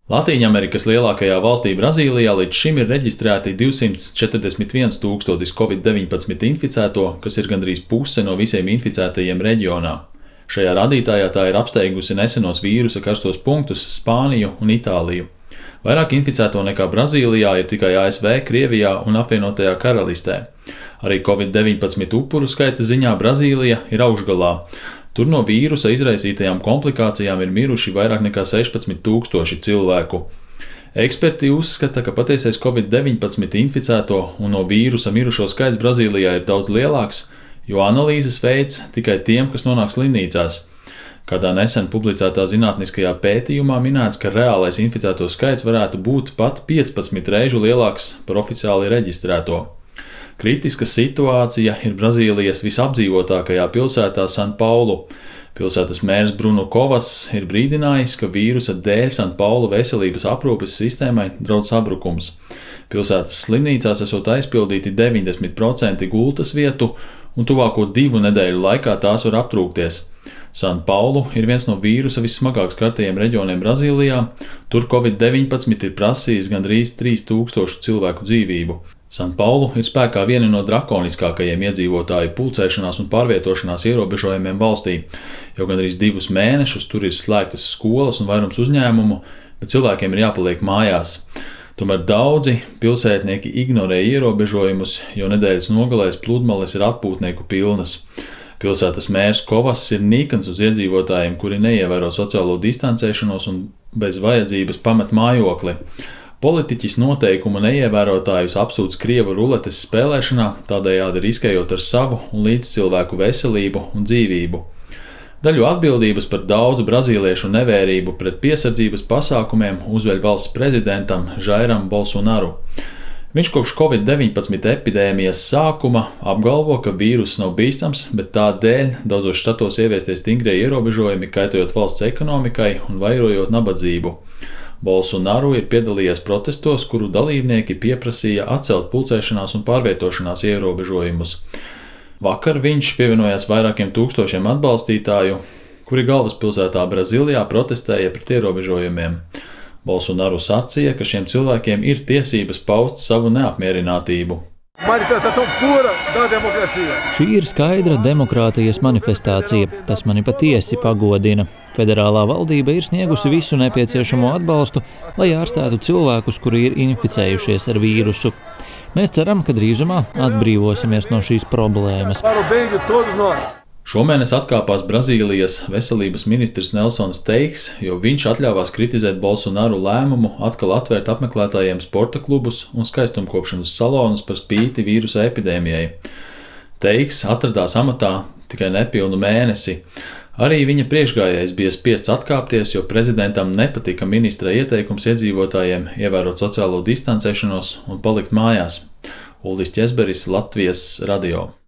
Latīņamerikas lielākajā valstī Brazīlijā līdz šim ir reģistrēti 241,000 Covid-19 inficēto, kas ir gandrīz puse no visiem inficētajiem reģionā. Šajā rādītājā tā ir apsteigusi nesenos vīrusa karstos punktus Spāniju un Itāliju. Vairāk inficēto nekā Brazīlijā ir tikai ASV, Krievijā un Apvienotajā Karalistē. Arī Covid-19 upuru skaita ziņā Brazīlija ir augšgalā. Tur no vīrusa izraisītajām komplikācijām ir miruši vairāk nekā 16,000 cilvēku. Eksperti uzskata, ka patiesais Covid-19 inficēto un no vīrusa mirušo skaits Brazīlijā ir daudz lielāks, jo analīzes veids tikai tiem, kas nonāk slimnīcās. Kādā nesen publicētā zinātniskajā pētījumā minēts, ka reālais inficēto skaits varētu būt pat 15 reižu lielāks par oficiāli reģistrēto. Kritiska situācija ir Brazīlijas visapdzīvotākajā pilsētā San Paulu. Pilsētas mērs Bruno Kovas ir brīdinājis, ka vīrusa dēļ San Paulu veselības aprūpes sistēmai draud sabrukums. Pilsētas slimnīcās esot aizpildīti 90% gultas vietu, un tuvāko 2 nedēļu laikā tās var aptrūkties. San Paulu ir viens no vīrusa vissmagāk skartajiem reģioniem Brazīlijā. Tur Covid-19 ir prasījis gandrīz 3000 cilvēku dzīvību. San Paulu ir spēkā viena no drakoniskākajiem iedzīvotāju pulcēšanās un pārvietošanās ierobežojumiem valstī. Jau gandrīz 2 mēnešus tur ir slēgtas skolas un vairums uzņēmumu, bet cilvēkiem ir jāpaliek mājās. Tomēr daudzi pilsētnieki ignorē ierobežojumus, jo nedēļas nogalēs pludmales ir atpūtnieku pilnas. Pilsētas mērs Kovas ir nikns uz iedzīvotājiem, kuri neievēro sociālo distancēšanos un bez vajadzības pamet mājokli. Politiķis noteikumu neievērotājus apsūdz Krievu ruletes spēlēšanā, tādējādi riskējot ar savu un līdzcilvēku veselību un dzīvību. Daļu atbildības par daudzu brazīliešu nevērību pret piesardzības pasākumiem uzveļ valsts prezidentam Jairam Bolsonaru. Viņš kopš Covid-19 epidēmijas sākuma apgalvo, ka vīruss nav bīstams, bet tā dēļ daudzos štatos ieviestie stingrie ierobežojumi kaitojot valsts ekonomikai un vairojot nabadzību. Bolsonaru ir piedalījies protestos, kuru dalībnieki pieprasīja atcelt pulcēšanās un pārvietošanās ierobežojumus. Vakar viņš pievienojās vairākiem tūkstošiem atbalstītāju, kuri galvaspilsētā Brazīlijā protestēja pret ierobežojumiem. Bolsonaru sacīja, ka šiem cilvēkiem ir tiesības paust savu neapmierinātību. Šī ir skaidra demokrātijas manifestācija. Tas mani patiesi pagodina. Federālā valdība ir sniegusi visu nepieciešamo atbalstu, lai ārstētu cilvēkus, kuri ir inficējušies ar vīrusu. Mēs ceram, ka drīzumā atbrīvosimies no šīs problēmas. Šomēnes atkāpās Brazīlijas veselības ministrs Nelsons Teiks, jo viņš atļāvās kritizēt Bolsonaru lēmumu atkal atvērt apmeklētājiem sporta klubus un skaistumkopšanas salonus par spīti vīrusa epidēmijai. Teiks atradās amatā tikai nepilnu mēnesi. Arī viņa priekšgājējs bija spiests atkāpties, jo prezidentam nepatika ministra ieteikums iedzīvotājiem ievērot sociālo distancēšanos un palikt mājās. Uldis Ķezberis, Latvijas radio.